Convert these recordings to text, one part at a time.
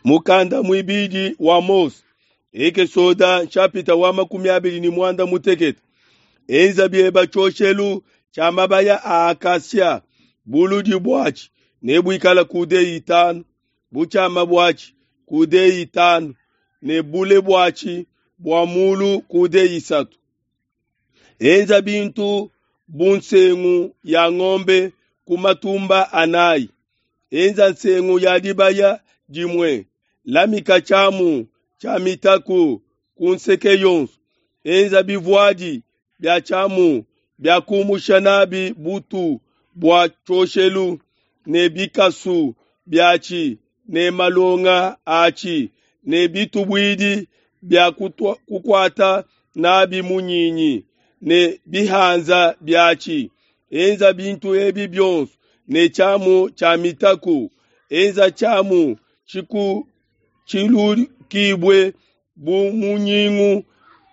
Mukanda muibidi wa Mose, Ekesoda nshapita wa 26. Enza bieba tshioshelu tshia mabaya a acacia, buludi buatshi nebuikale coude 5, butshiama buatshi coude 5 ne bule buatshi bua mulu coude 3. Enza bintu bu nsengu ya ngombe ku matumba anayi. Enza nsengu ya dibaya dimue, lamika tshiamu tshia mitaku ku nseke yonso. Enza bivuadi bia tshiamu bia kumusha nabi butu bua tshioshelu ne bikasu biatshi ne malonga atshi ne bitubuidi bia kukuata nabi munyinyi ne bihanza biatshi. Enza bintu ebi bionso ne tshiamu tshia mitaku. Enza tshiamu tshilukibue bu munyingu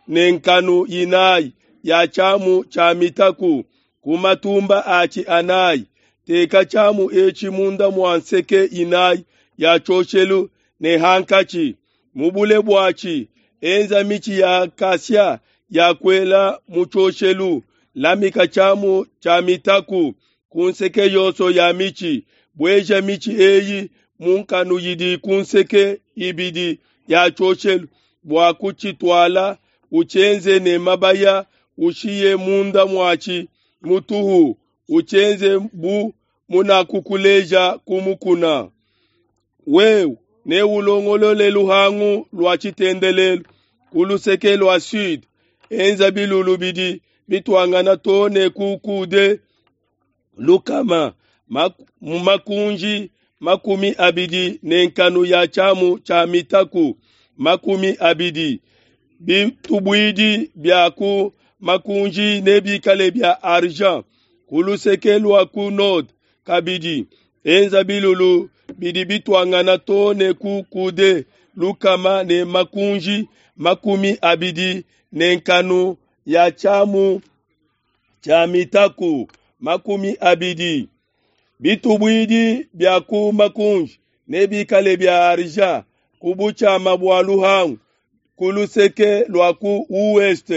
ne nkanu inayi ya tshiamu tshia mitaku ku matumba atshi anayi. Teka tshiamu etshi munda mua nseke inayi ya tshioshelu ne hankatshi. Mu bule buatshi enza mitshi ya acacia ya kuela mu tshioshelu. Lamika tshiamu tshia mitaku ku nseke yonso ya mitshi. Bueja mitshi eyi mu nkanu idi ku nseke ibidi ya tshioshelu bua kutshituala. Utshienze ne mabaya, ushiye munda muatshi mutuhu. Utshienze bu munakukuleja ku mukuna. Wewe neulongolole luhangu lua tshitendelelu ku luseke lua sud. Enza bilulu bidi bituangana too ne ku coude 100, mu makunji 20 ne nkanu ya tshiamu tshia mitaku 20. Bitubuidi bia ku makunji nebikale bia argent ku luseke lua ku nord kabidi. Enza bilulu bidi bituangana too ne ku coude 100 ne makunji 20 ne nkanu ya tshiamu tshia mitaku 20. Bitubuidi bia ku makunji nebikale bia argent ku butshiama bua luhangu ku luseke lua ku ouest.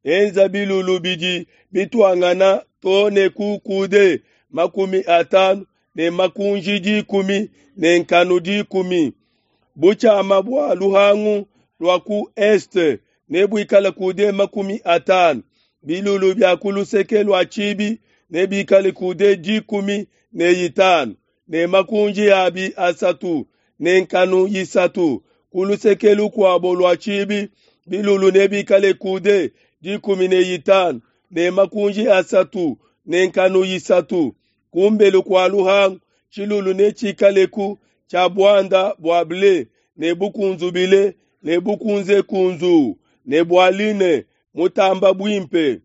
Enza bilulu bidi bituangana too ne ku coude 50 ne makunji 10 ne nkanu 10. Butshiama bua luhangu lua ku est nebuikale coude 50. Bilulu bia ku luseke lua tshibi nebikale coude 15 ne makunji abi 3 ne nkanu 3. Ku luseke lukuabo lua tshibi bilulu nebikale coude 15 ne makunji 3 ne nkanu 3. Kumbelu kua luhangu tshilulu netshikaleku tshia buanda bua ble ne bukunzubile ne bukunzekunzu ne bua line mutamba buimpe,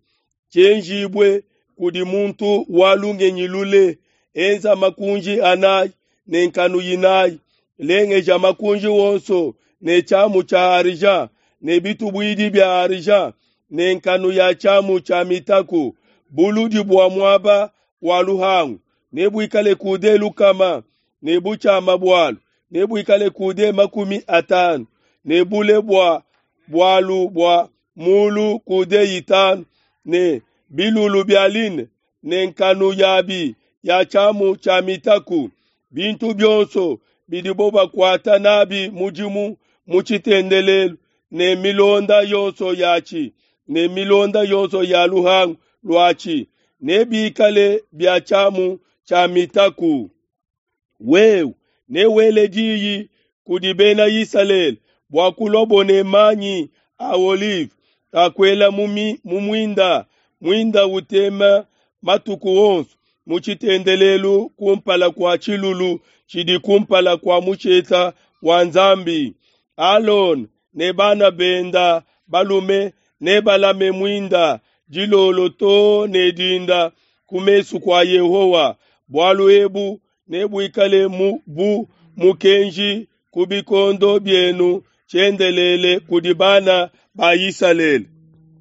tshienjibue kudi muntu wa lungenyi lule. Enza makunji anayi ne nkanu 4. Lengeja makunji wonso ne tshiamu tshia argent ne bitubuidi bia argent ne nkanu ya tshiamu tshia mitaku. Buludi bua muaba wa luhangu nebuikale coude 100 ne butshiama bualu nebuikale coude 50 ne bule bua bualu bua mulu coude 5 ne bilulu bia line ne nkanu yabi ya tshiamu tshia mitaku. Bintu bionso bidibo bakuata nabi mudimu mu tshitendelelu ne milonda yonso yatshi ne milonda yonso ya luhangu luatshi nebikale bia tshiamu tshia mitaku. Wewe newele diyi kudi bena Isalele bua kulua ne manyi a olive akuela mu muinda, muinda utema matuku onso mu tshitendelelu kumpala kua tshilulu tshidi kumpala kua musheta wa Nzambi. Alona ne bana benda balume nebalame muinda dilolo too ne dinda ku mesu kua Yehowa. Bualu ebu nebuikale bu mukenji ku bikondo bienu tshiendelele kudi bana ba Isalele.